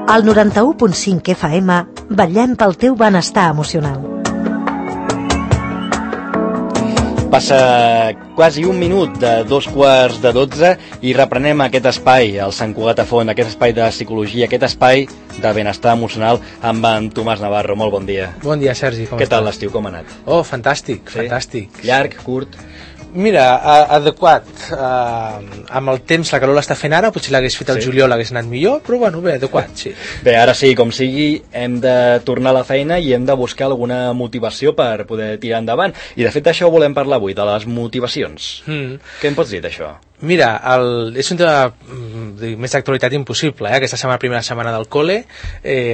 Al 91.5 FM vetllem pel teu benestar emocional. Passa quasi un minut de 2:45 i reprenem aquest espai, el Sant Cugat a Font, aquest espai de psicologia, aquest espai de benestar emocional amb en Tomàs Navarro. Molt bon dia. Bon dia, Sergi. Què tal l'estiu, com ha anat? Oh, fantàstic, sí? Fantàstic. Llarg, curt? Mira, adequat. Amb el temps, la calor l'està fent ara, potser l'hagués fet el juliol, l'hagués anat millor, però bueno, bé, adequat, sí. Bé, ara sí, com sigui, hem de tornar a la feina i hem de buscar alguna motivació per poder tirar endavant. I de fet d'això volem parlar avui, de les motivacions. Què em pots dir d'això? Mira, és un tema més d'actualitat impossible, Aquesta primera setmana del col·le,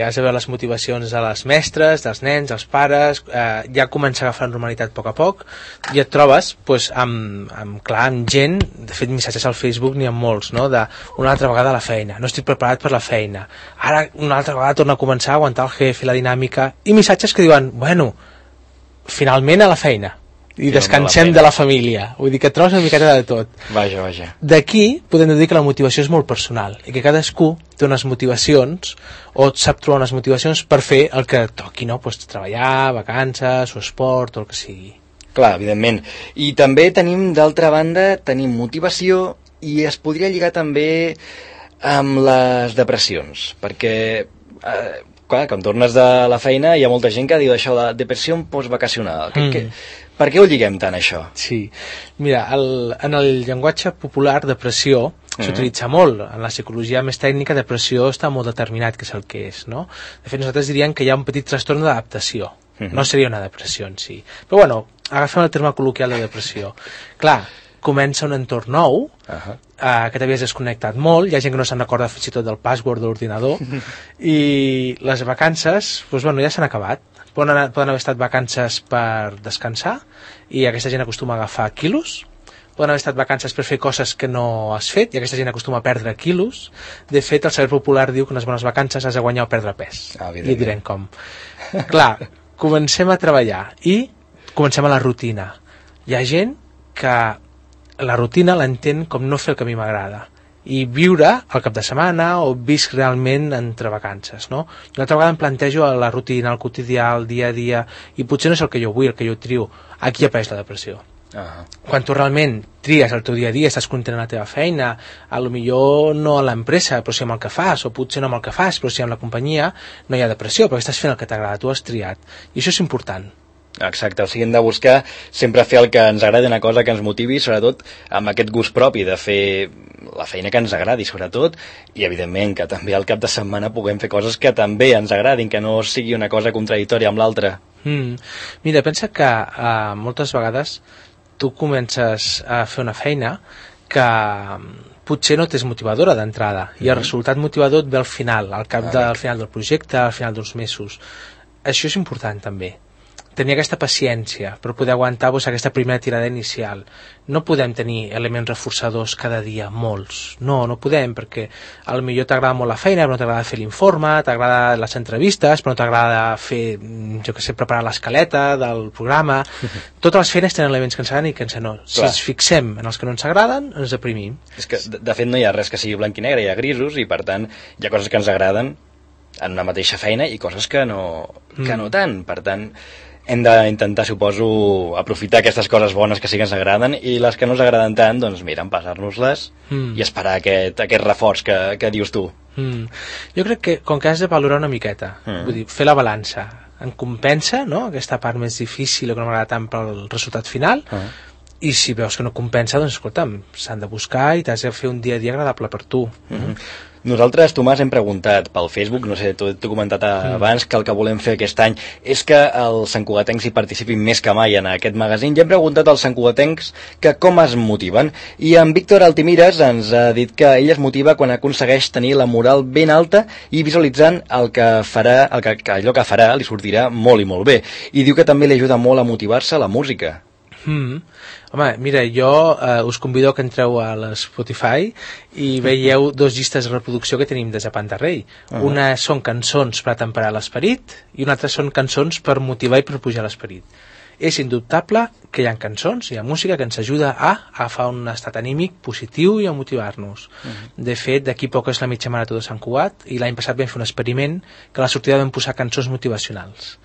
has de veure les motivacions de les mestres, dels nens, dels pares, ja comença a agafar normalitat a poc, i et trobes amb gent, de fet missatges al Facebook n'hi ha molts, no? De una altra vegada a la feina, no estic preparat per la feina, ara una altra vegada torna a començar a aguantar el jefe, la dinàmica, i missatges que diuen, bueno, finalment a la feina, i descansem de la família. Vull dir que et trobes una miqueta de tot. Vaja. D'aquí podem dir que la motivació és molt personal i que cadascú té unes motivacions o sap trobar unes motivacions per fer el que toqui, no? Pues treballar, vacances o esport o el que sigui. Clar, evidentment. I també d'altra banda, tenim motivació i es podria lligar també amb les depressions, perquè clar, quan tornes de la feina hi ha molta gent que diu això de depressió postvacacional. Per què ho lliguem tant, això? Sí, mira, en el llenguatge popular, depressió s'utilitza molt. En la psicologia més tècnica, depressió està molt determinat que és el que és, no? De fet, nosaltres diríem que hi ha un petit trastorn d'adaptació. No seria una depressió en si. Però bueno, agafem el terme col·loquial de depressió. Clar, comença un entorn nou, que t'havies desconnectat molt, hi ha gent que no se'n recorda fins i tot del password de l'ordinador, i les vacances, doncs bueno, ja s'han acabat. Poden haver estat vacances per descansar, i aquesta gent acostuma a agafar quilos, poden haver estat vacances per fer coses que no has fet, i aquesta gent acostuma a perdre quilos. De fet, el saber popular diu que unes bones vacances has de guanyar o perdre pes. I et direm com. Clar, comencem a treballar i comencem a la rutina. Hi ha gent que la rutina l'entén com no fer el que a mi m'agrada i viure el cap de setmana o visc realment entre vacances, no? I una altra vegada em plantejo la rutina, el quotidià, el dia a dia, i potser no és el que jo vull, el que jo trio. Aquí apareix la depressió. Quan tu realment tries el teu dia a dia, estàs content amb la teva feina, potser no a l'empresa, però sí amb el que fas, o potser no amb el que fas, però sí amb la companyia, no hi ha depressió, perquè estàs fent el que t'agrada, tu has triat. I això és important. Exacte, o sigui, hem de buscar sempre fer el que ens agradi, una cosa que ens motivi, sobretot amb aquest gust propi de fer la feina que ens agradi, sobretot, i evidentment que també al cap de setmana puguem fer coses que també ens agradin, que no sigui una cosa contradictòria amb l'altra. Mira, pensa que moltes vegades tu comences a fer una feina que potser no t'és motivadora d'entrada, i el resultat motivador et ve al final, al final del projecte, al final d'uns mesos. Això és important també, tenir aquesta paciència per poder aguantar aquesta primera tirada inicial. No podem tenir elements reforçadors cada dia, molts. No podem, perquè potser t'agrada molt la feina, però no t'agrada fer l'informe, t'agrada les entrevistes, però no t'agrada fer, preparar l'escaleta del programa. Totes les feines tenen elements que ens agraden i que no. Si ens fixem en els que no ens agraden, ens deprimim. És que, de fet, no hi ha res que sigui blanc i negre, hi ha grisos, i per tant hi ha coses que ens agraden en una mateixa feina i coses que no tant. Per tant, hem d'intentar, suposo, aprofitar aquestes coses bones que sí que ens agraden, i les que no ens agraden tant, doncs mira, empassar-nos-les i esperar aquest reforç que dius tu. Jo crec que, com que has de valorar una miqueta, vull dir, fer la balança, em compensa, no?, aquesta part més difícil o que no m'agrada tant pel resultat final, i si veus que no compensa, doncs escolta'm, s'han de buscar i t'has de fer un dia a dia agradable per tu. Nosaltres, Tomàs, hem preguntat pel Facebook, no sé, t'ho he comentat abans, que el que volem fer aquest any és que els santcugatencs hi participin més que mai en aquest magazín, i hem preguntat als santcugatencs que com es motiven, i en Víctor Altimires ens ha dit que ell es motiva quan aconsegueix tenir la moral ben alta i visualitzant allò que farà li sortirà molt i molt bé, i diu que també li ajuda molt a motivar-se la música. Home, mira, jo us convido que entreu a l'Spotify i veieu dos llistes de reproducció que tenim de Japant de Rei. Una són cançons per atemperar l'esperit i una altra són cançons per motivar i per pujar l'esperit. és indubtable que hi ha cançons, hi ha música que ens ajuda a agafar un estat anímic positiu i a motivar-nos. De fet, d'aquí poc és la mitja marató de Sant Cugat i l'any passat vam fer un experiment que a la sortida vam posar cançons motivacionals.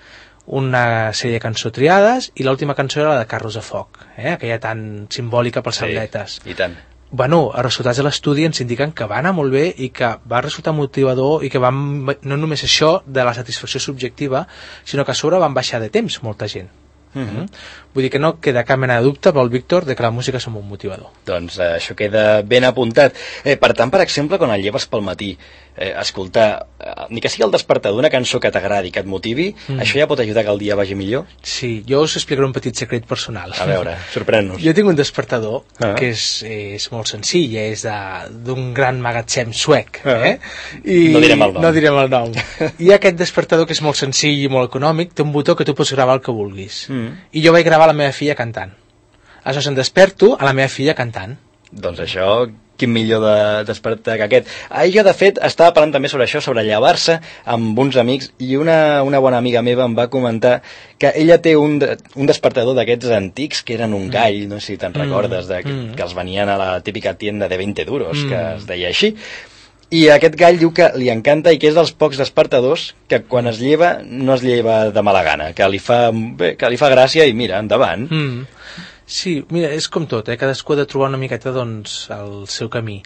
Una sèrie de cançons triades i l'última cançó era la de Carros de Foc, aquella tan simbòlica pels atletes. I tant. Bueno, els resultats de l'estudi ens indiquen que va anar molt bé i que va resultar motivador i que no només això de la satisfacció subjectiva, sinó que a sobre van baixar de temps molta gent. Vull dir que no queda cap mena de dubte pel Víctor de que la música és un bon motivador. Doncs això queda ben apuntat. Per tant, per exemple, quan et lleves pel matí, escoltar, ni que sigui el despertador, una cançó que t'agradi, que et motivi, això ja pot ajudar que el dia vagi millor? Sí, jo us explicaré un petit secret personal. A veure, sorprèn-nos. Jo tinc un despertador que és molt senzill, és d'un gran magatzem suec. I no direm el nom. No direm el nom. I aquest despertador, que és molt senzill i molt econòmic, té un botó que tu pots gravar el que vulguis. I jo vaig gravar la meva filla cantant. Aleshores em desperto a la meva filla cantant. Doncs això, quin millor de despertar que aquest. Jo, de fet, estava parlant també sobre això, sobre llevar-se amb uns amics, i una bona amiga meva em va comentar que ella té un despertador d'aquests antics que eren un gall, no sé si te'n recordes, que els venien a la típica tienda de 20 duros, que es deia així. I aquest gall diu que li encanta i que és dels pocs despertadors que quan es lleva no es lleva de mala gana, que li fa gràcia i mira, endavant. Sí, mira, és com tot, cadascú ha de trobar una miqueta doncs, el seu camí.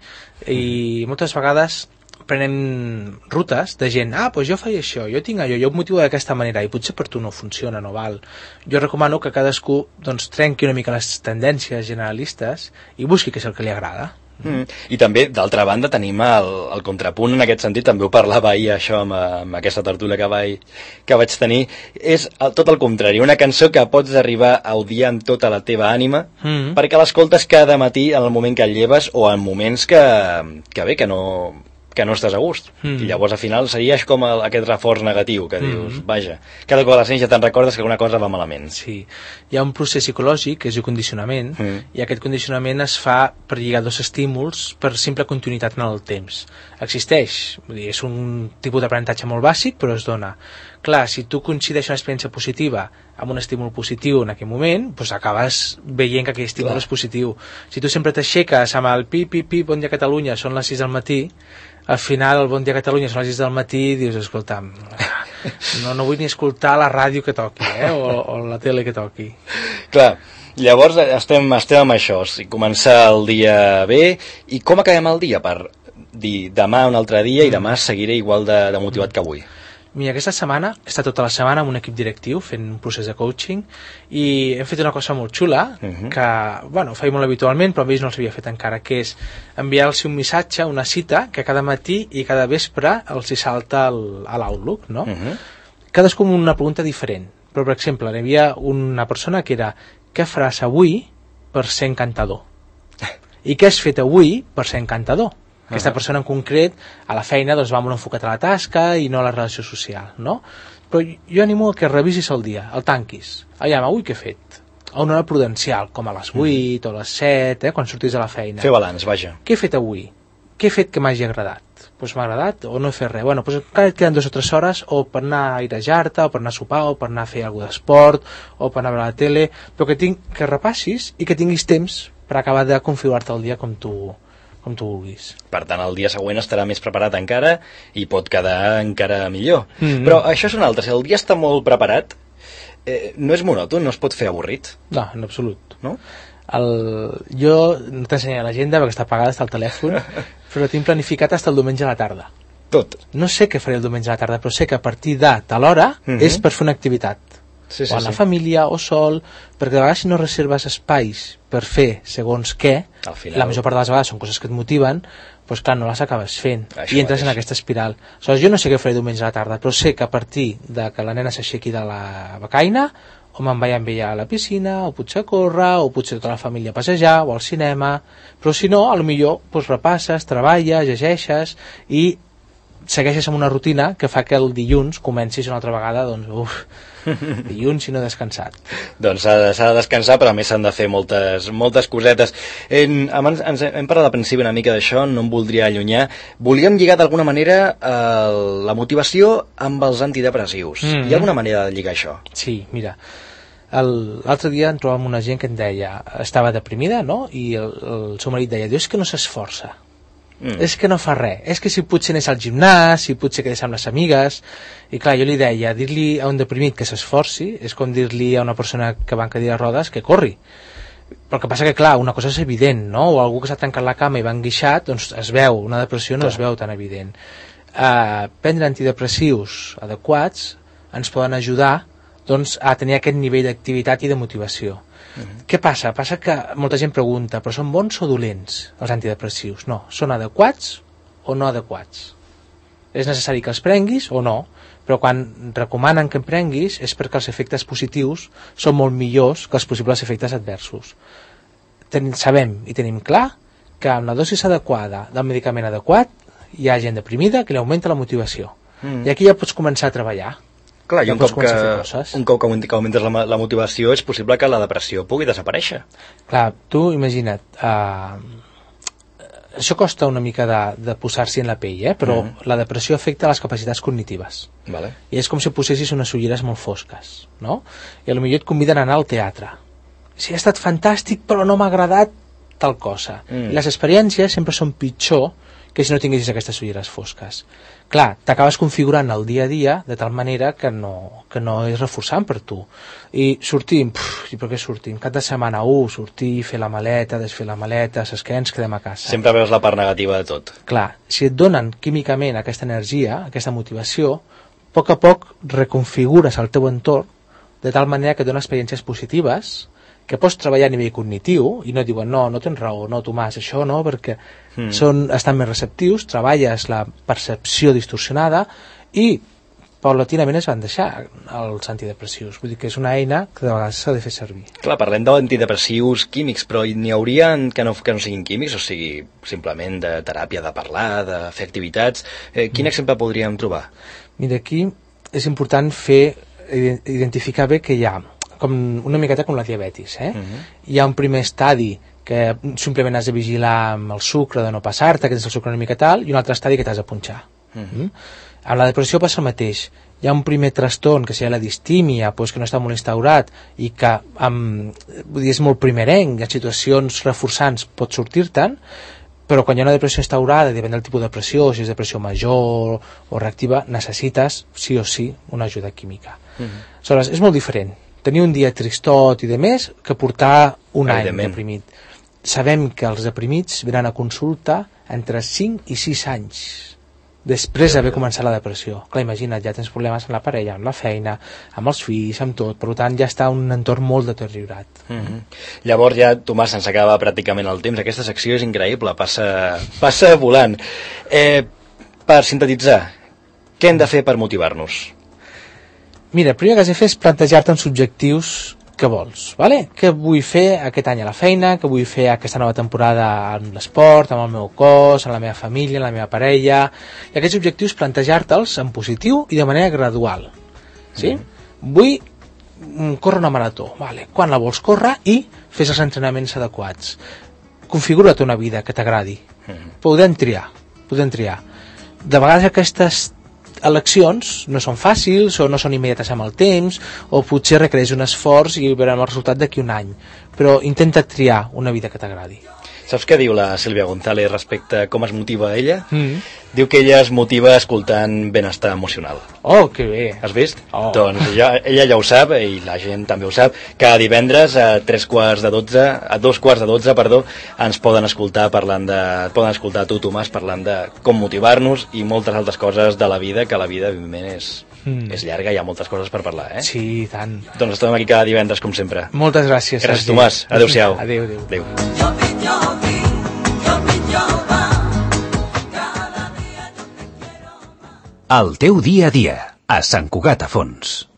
I moltes vegades prenem rutes de gent, doncs jo faig això, jo tinc allò, jo em motivo d'aquesta manera, i potser per tu no funciona, no val. Jo recomano que cadascú doncs, trenqui una mica les tendències generalistes i busqui què és el que li agrada. I també, d'altra banda, tenim el contrapunt en aquest sentit, també ho parlava ahir això amb aquesta tertúlia que vaig tenir, és tot el contrari, una cançó que pots arribar a odiar amb tota la teva ànima perquè l'escoltes cada matí en el moment que et lleves o en moments que no estàs a gust. I llavors al final seria com aquest reforç negatiu que dius, vaja, cada cop a la sent ja te'n recordes que alguna cosa va malament. Sí, hi ha un procés psicològic que es diu condicionament i aquest condicionament es fa per lligar dos estímuls per simple continuïtat en el temps. Existeix, vull dir, és un tipus d'aprenentatge molt bàsic, però es dona. Clar, si tu coincideix una experiència positiva amb un estímul positiu en aquell moment, doncs acabes veient que aquell estímul és positiu. Si tu sempre t'aixeques amb el pi, bon dia Catalunya, són les 6 del matí, al final el bon dia Catalunya són les 6 del matí i dius, escolta, no vull ni escoltar la ràdio que toqui, o la tele que toqui. Clar, llavors estem amb això, començar el dia bé, i com acabem el dia? Per dir, demà un altre dia i demà seguiré igual de motivat que avui. Mira, aquesta setmana he estat tota la setmana amb un equip directiu fent un procés de coaching i hem fet una cosa molt xula que, bueno, ho feia molt habitualment però amb ells no els havia fet encara, que és enviar-los un missatge, una cita que cada matí i cada vespre els hi salta a l'Outlook, no? Cadascú amb una pregunta diferent, però per exemple hi havia una persona que era què faràs avui per ser encantador? I què has fet avui per ser encantador? Aquesta persona en concret, a la feina, doncs va molt enfocat a la tasca i no a la relació social, no? Però jo animo a que revisis el dia, el tanquis. Aviam, avui què he fet? A una hora prudencial, com a les 8 o les 7, quan sortis a la feina. Fer balanç, vaja. Què he fet avui? Què he fet que m'hagi agradat? Doncs m'ha agradat o no he fet res? Bueno, doncs encara et queden 2 o 3 hores o per anar a airejar-te, o per anar a sopar, o per anar a fer alguna d'esport, o per anar a veure la tele, però que repassis i que tinguis temps per acabar de configurar-te el dia com tu vulguis. Per tant, el dia següent estarà més preparat encara i pot quedar encara millor. Però això és un altre, si el dia està molt preparat, no és monòton, no es pot fer avorrit. No, en absolut. No? Jo no t'ensenyaré l'agenda perquè està apagada, està al telèfon, però tinc planificat fins el diumenge a la tarda. Tot? No sé què faré el diumenge a la tarda, però sé que a partir de tal hora és per fer una activitat. Sí, o amb la família o sol, perquè de vegades si no reserves espais per fer segons què, la major part de les vegades són coses que et motiven, doncs clar, no les acabes fent i entres en aquesta espiral. Aleshores, jo no sé què faré diumenge a la tarda, però sé que a partir de que la nena s'aixequi de la becaina o me'n vaig amb ella a la piscina, o potser a córrer, o potser tota la família a passejar, o al cinema, però si no, potser repasses, treballes, llegeixes i segueixes amb una rutina que fa que el dilluns comencis una altra vegada, doncs, dilluns i no descansat. Doncs s'ha de descansar, però a més s'han de fer moltes cosetes. Abans hem parlat al principi una mica d'això, no em voldria allunyar. Volíem lligar d'alguna manera la motivació amb els antidepressius. Hi ha alguna manera de lligar això? Sí, mira, L'altre dia em trobava amb una gent que em deia, estava deprimida, no? I el seu marit deia, és que no s'esforça, és que no fa res, és que si potser anés al gimnàs, si potser quedés amb les amigues. I clar, jo li deia, dir-li a un deprimit que s'esforci és com dir-li a una persona que va en cadira de rodes que corri. Però el que passa que, clar, una cosa és evident, no? O algú que s'ha tancat la cama i va enguixat, doncs es veu, una depressió no es veu tan evident. Prendre antidepressius adequats ens poden ajudar, doncs, a tenir aquest nivell d'activitat i de motivació. Què passa? Passa que molta gent pregunta, però són bons o dolents els antidepressius? No, són adequats o no adequats? És necessari que els prenguis o no? Però quan recomanen que en prenguis és perquè els efectes positius són molt millors que els possibles efectes adversos. Sabem i tenim clar que amb la dosis adequada del medicament adequat hi ha gent deprimida que li augmenta la motivació. I aquí ja pots començar a treballar. Clar, i un cop que augmentes la motivació és possible que la depressió pugui desaparèixer. Clar, tu imagina't, això costa una mica de posar-s'hi en la pell, però la depressió afecta les capacitats cognitives. Vale. I és com si posessis unes ulleres molt fosques, no? I potser et conviden a anar al teatre. Sí, ha estat fantàstic, però no m'ha agradat tal cosa. I les experiències sempre són pitjor que si no tinguessis aquestes ulleres fosques. Clar, t'acabes configurant el dia a dia de tal manera que no és reforçant per tu. I sortim, i per què sortim? Cap de setmana, sortir, fer la maleta, desfer la maleta, saps què? Ens quedem a casa. Sempre veus la part negativa de tot. Clar, si et donen químicament aquesta energia, aquesta motivació, a poc reconfigures el teu entorn de tal manera que et dona experiències positives que pots treballar a nivell cognitiu i no et diuen, no tens raó, no Tomàs, això no, perquè estan més receptius, treballes la percepció distorsionada i paulatinament es van deixar els antidepressius. Vull dir que és una eina que de vegades s'ha de fer servir. Clar, parlem d'antidepressius químics, però n'hi hauria que no siguin químics, o sigui, simplement de teràpia, de parlar, de fer activitats. Quin exemple podríem trobar? Mira, aquí és important identificar bé que hi ha com una miqueta com la diabetis. Hi ha un primer estadi que simplement has de vigilar amb el sucre, de no passar-te, que tens el sucre una mica tal, i un altre estadi que t'has de punxar. Amb la depressió passa el mateix. Hi ha un primer trastorn, que seria la distímia, que no està molt instaurat, i que és molt primerenc, en situacions reforçants pot sortir-te'n, però quan hi ha una depressió instaurada, depèn del tipus de depressió, si és depressió major o reactiva, necessites, sí o sí, una ajuda química. Aleshores, és molt diferent tenir un dia tristot i de més que portar un any deprimit. Sabem que els deprimits venen a consulta entre 5 i 6 anys després d'haver començat la depressió. Clar, imagina't, ja tens problemes amb la parella, amb la feina, amb els fills, amb tot, per tant ja està un entorn molt deteriorat. Llavors ja, Tomàs, se'ns acaba pràcticament el temps. Aquesta secció és increïble, passa volant. Per sintetitzar, què hem de fer per motivar-nos? Mira, el primer que has de fer és plantejar-te uns objectius que vols, vale? Què vull fer aquest any a la feina, què vull fer aquesta nova temporada en l'esport, amb el meu cos, amb la meva família, amb la meva parella, i aquests objectius plantejar-te'ls en positiu i de manera gradual, sí? Vull córrer una marató, vale? Quan la vols córrer i fes els entrenaments adequats. Configura't una vida que t'agradi. Podem triar. De vegades aquestes eleccions no són fàcils o no són immediates amb el temps o potser requereix un esforç i veurem el resultat d'aquí un any, però intenta triar una vida que t'agradi. Saps què diu la Sílvia González respecte a com es motiva ella? Diu que ella es motiva escoltant benestar emocional. Oh, que bé! Has vist? Doncs ella ja ho sap, i la gent també ho sap. Cada divendres a 2:15, ens poden escoltar poden escoltar tu, Tomàs, parlant de com motivar-nos i moltes altres coses de la vida, que la vida, evidentment, és llarga, hi ha moltes coses per parlar, eh? Sí, tant. Doncs estem aquí cada divendres, com sempre. Moltes gràcies. Gràcies, Tomàs. Adéu-siau. Adéu. El teu dia a dia, a Sant Cugat a Fons.